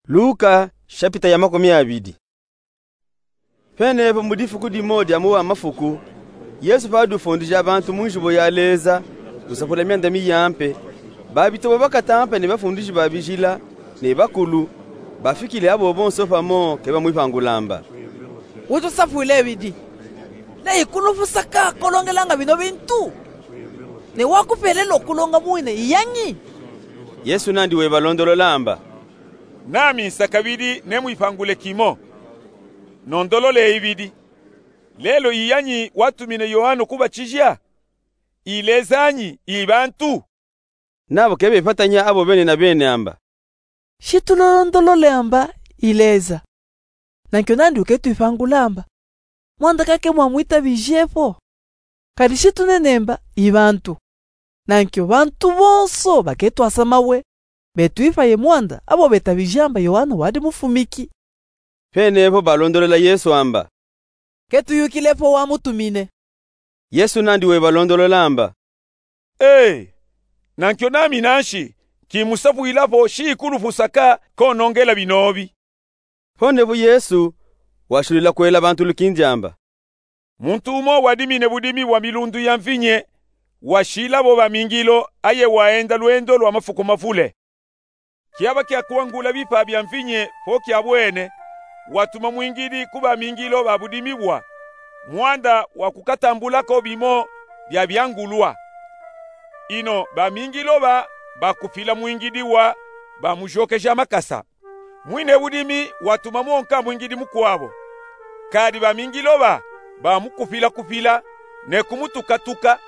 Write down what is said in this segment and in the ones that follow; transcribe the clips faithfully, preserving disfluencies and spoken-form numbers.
Luka, shapita ya makumi abidi. Penepo mu difuku dimo dia mu wa mafuku, Yesu padi ufundija bantu mu nzubu ya Leza, usapula mianda miyampe, babitobo bakatampe ne bafundiji ba bijila, ne bakulu, bafikile abo bonso pamo ke bamwipangulamba: Witusapwile bidi, ne ikulufusaka kolongelanga bino bintu? Ne wakupelelo kulonga mwine iyanyi? Yesu nandi webalondololamba: Nami nsakabidi nemwipangule kimo. Nondolole ibidi. Lelo iyanyi watumine Yoano kubatija? I Leza nyi, i bantu? Nabo ke bepatanya abo bene na bene amba: Shitulolondolole amba i Leza. Nankyo nandi uketwipangulamba: Mwanda kake mwamwitabijepo. Kadi shitunenemba i bantu. Nankyo bantu bonso baketwasa mawe, betwipaye mwanda abo betabijamba Yoano wadi mufumiki. Penepo balondolola Yesu amba: Ketuyukilepo wamutumine. Yesu nandi webalondolola amba: Ee, nankyo nami nanshi, kimusapwilapo shikulufusaka konongela binobi. Ponepo Yesu washulila kwela bantu lukindi amba: Muntu umo wadimine budimi bwa milundu ya mvinye, washilabo bamingilo, aye waenda lwendo lwa mafuku mavule. Kiaba kia kuangula bipa bia mvinye po kiabwene, watuma mwingidi ku bamingilo ba budimi bwa, mwanda wa kukatambulako bimo bia biangulwa. Ino bamingilo ba bakupila mwingidi wa, bamujokeja makasa. Mwine budimi watuma mwonka mwingidi mukwabo. Kadi bamingilo ba bamukupila-kupila, ne kumutuka-tuka,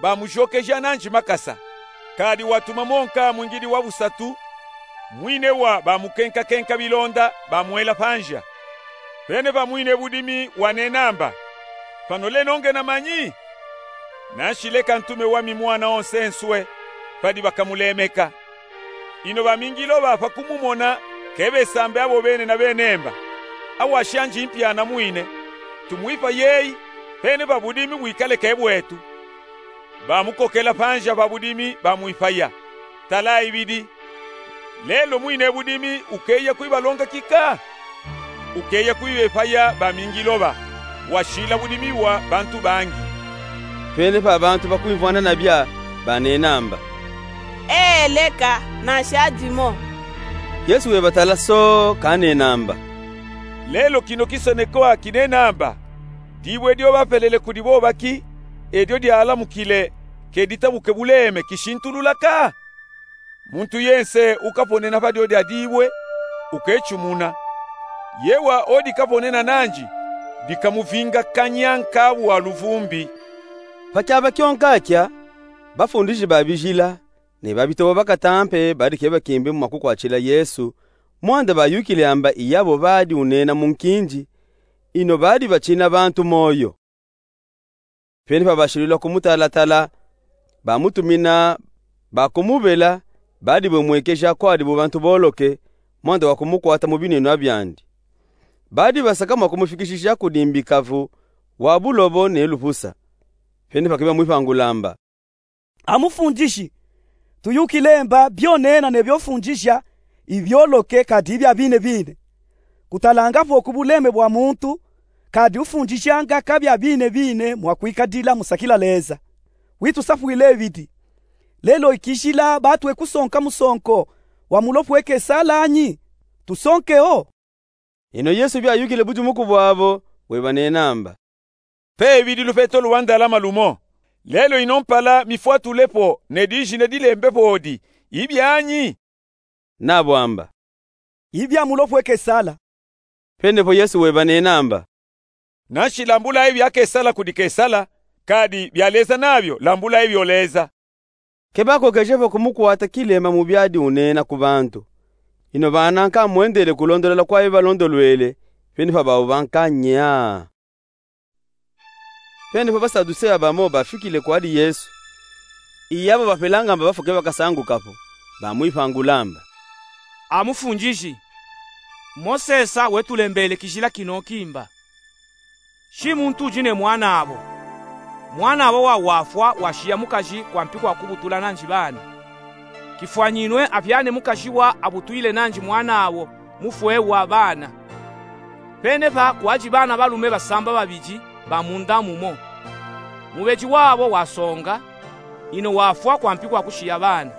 bamujokeja nanji makasa. Kadi watuma mwonka mwingidi wa busatu, mwine wa bamukenka-kenka bilonda, bamwela panja. Penepa mwine budimi wanena amba: Pano leno ngena manyi? Nanshi leka ntume wami mwana wonsenswe, padi bakamulemeka. Ino bamingilo ba pakumumona, ke besambe abo bene na bene mba: Awa shanji mpya na mwine, tumwipayeyi, penepa budimi bwikale ke bwetu. Bamukokela panja pa budimi, bamwipaya. Tala ibidi. Lelo mwine budimi ukeya kwibalonga kika? Ukeya kwibepaya bamingilo ba, washila budimi bwa bantu bangi. Penepa bantu bakwimvwana nabia banena amba: Ee, leka, nanshi adimo. Yesu webatala so kanena amba: Lelo kino kisonekwa kinena amba: Dibwe dio bapelele kudi bobaki, edio dialamukile, ke ditabuke buleme, kishintulula ka? Muntu yense ukaponena pa dio dia dibwe, ukecumuna. Yewa odikaponena nanji, dikamuvinga kanya nkabu wa luvumbi. Pa kiaba kyonka kya, bafundiji ba bijila ne babitobo bakatampe badi ke bakimbi mwa kukwatshila Yesu, mwanda bayukile amba iyabo badi unena mu nkinji, ino badi batshina bantu moyo. Penepa bashilula kumutala-tala, bamutumina, bakumubela, badi bamwekeja kwadibu bantu boloke, mwanda wa kumukwata mu binenwa byandi. Badi basaka mwa kumufikishija kudi mbikavu wa bulobo ne lupusa. Penepa ke bamwipangula amba: A Mufundiji, tuyukile mba byonena ne byofundija ibyoloke kadi ibya bine bine. Kutalanga po ku buleme bwa muntu, kadi ufundijanga ka bya bine bine mwa kwikadila musakila Leza. Witusapwile bidi. Lelo ikijila batwe kusonka musonko wa mulopwe Kesala nyi? Tusonke o? Ino Yesu byayukile bujumu ku bwabo, webanena amba: Pe bidi lupeto lwa ndalama lumo. Lelo ino mpala mifwatulepo ne dijina dilembepo odi, ibyanyi? Nabo amba: Ibya mulopwe Kesala. Penepo Yesu webanena amba: Nanshi lambulayi bya Kesala kudi Kesala, kadi bya Leza nabyo lambulayi byo Leza. Ke bakokeje po kumukwata kilema mu byadi unena ku bantu. Ino bananka mwendele kulondolola kwa bibalondolwele, penepa babo banka nyaa. Penepa Basaduseya bamo bafikile kwadi Yesu. Iyabo bapelanga amba bafwa ke bakasanguka po, bamwipangula amba: A Mufundiji, Mosesa wetulembele kijila kino kimba: Shi muntu udi ne mwanabo, mwanabo wa wafwa washiya mukaji kwampi kwa kubutula nanji bana, kifwanyinwe abyane mukaji wa abutwile nanji mwanabo, mufwe wa bana. Pene pa kwadi bana balume basamba babidi ba munda mumo. Mubedi wabo wasonga, ino wafwa kwampi kwa kushiya bana.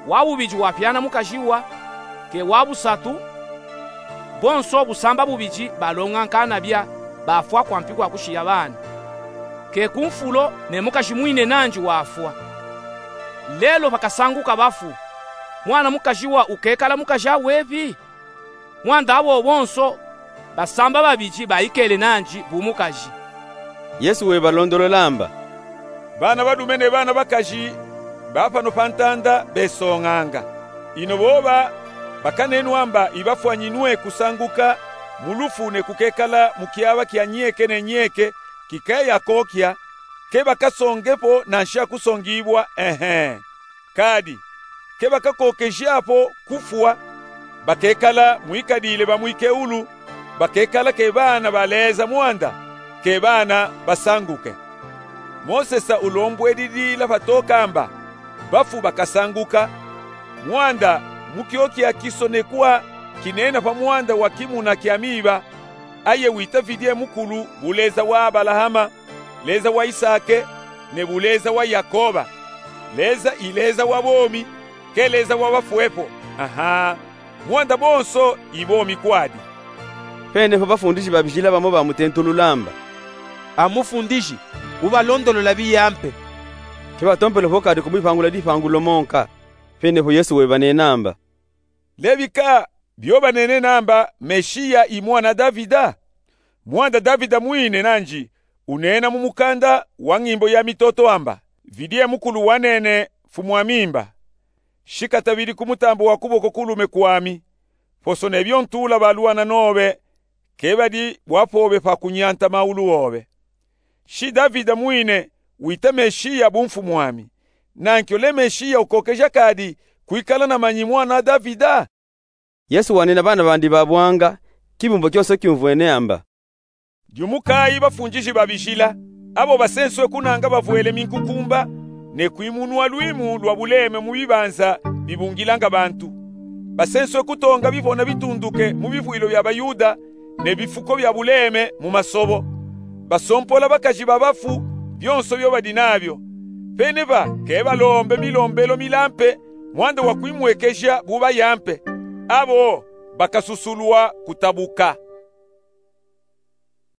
Wa bubidi wapyana mukaji wa, ke wa busatu, bonso busamba bubidi balonga nkanabya, bafwa kwampi kwa kushiya bana. Ke ku mfulo ne mukaji mwine nandi wafwa. Lelo pakasanguka bafu, mwana mukaji wa ukekala mukaji awepi? Mwanda abo bonso basamba babidi baikele nandi bu mukaji. Yesu webalondolola amba: Bana balume ne bana bakaji ba pano pa ntanda besonganga. Ino boba bakanenwa amba ibafwanyinwe kusanguka mu lufu ne kukekala mu kyaba kya nyeke ne nyeke kikeya kokya, ke bakasongepo nanshi akusongibwa, ehe. Kadi ke bakakokejapo kufwa, bakekala mwikadile ba mwikeulu, bakekala ke bana ba Leza mwanda, ke bana basanguke. Mosesa ulombwedidila patoka amba: Bafu bakasanguka, mwanda mu kyokya kisonekwa kinena pa mwanda wa kimuna kya miba, aye wita vidye mukulu bu Leza wa Abalahama, Leza wa Isake, ne bu Leza wa Yakoba. Leza i Leza wa bomi, ke Leza wa bafwepo. Aha, mwanda bonso i bomi kwadi. Penepo bafundiji babijila bamo bamutentulula amba: A mufundiji, ubalondolola biya mpe? Ke batompele po kadi kumwipangula dipangu lo monka. Penepo Yesu webanena amba: Lebika byo banene namba Meshiya i mwana Davida? Mwanda Davida mwine nandi unena mu mukanda wa ngimbo ya mitoto amba: Vidye mukulu wanene, Mfumu ami mba, shika tabidi ku mutambo wa kuboko kulume kwami, poso ne byo ntula balwana nobe, ke badi bwapobe pa kunyanta maulu obe. Shi Davida mwine wita Meshiya bu mfumu ami. Nankyo le Meshiya ukokeja kadi kwikala na manyi mwana Davida? Yesu wanena bana bandi babwanga, kibumbo kyonso kyumvwene amba: Dyumukayi bafundiji babijila, abo basenswe kunanga bavwele minkukumba, ne kwimunwa lwimu lwa buleme mu bibanza bibungilanga bantu. Basenswe kutonga bipona bitunduke mu bivwilo bya Bayuda, ne bifuko bya buleme mu masobo. Basompola bakaji ba bafu byonso byo badi nabyo. Pene ba ke balombe milombelo milampe, mwanda wa kwimwekeja bu bayampe. Abo bakasusulwa kutabuka.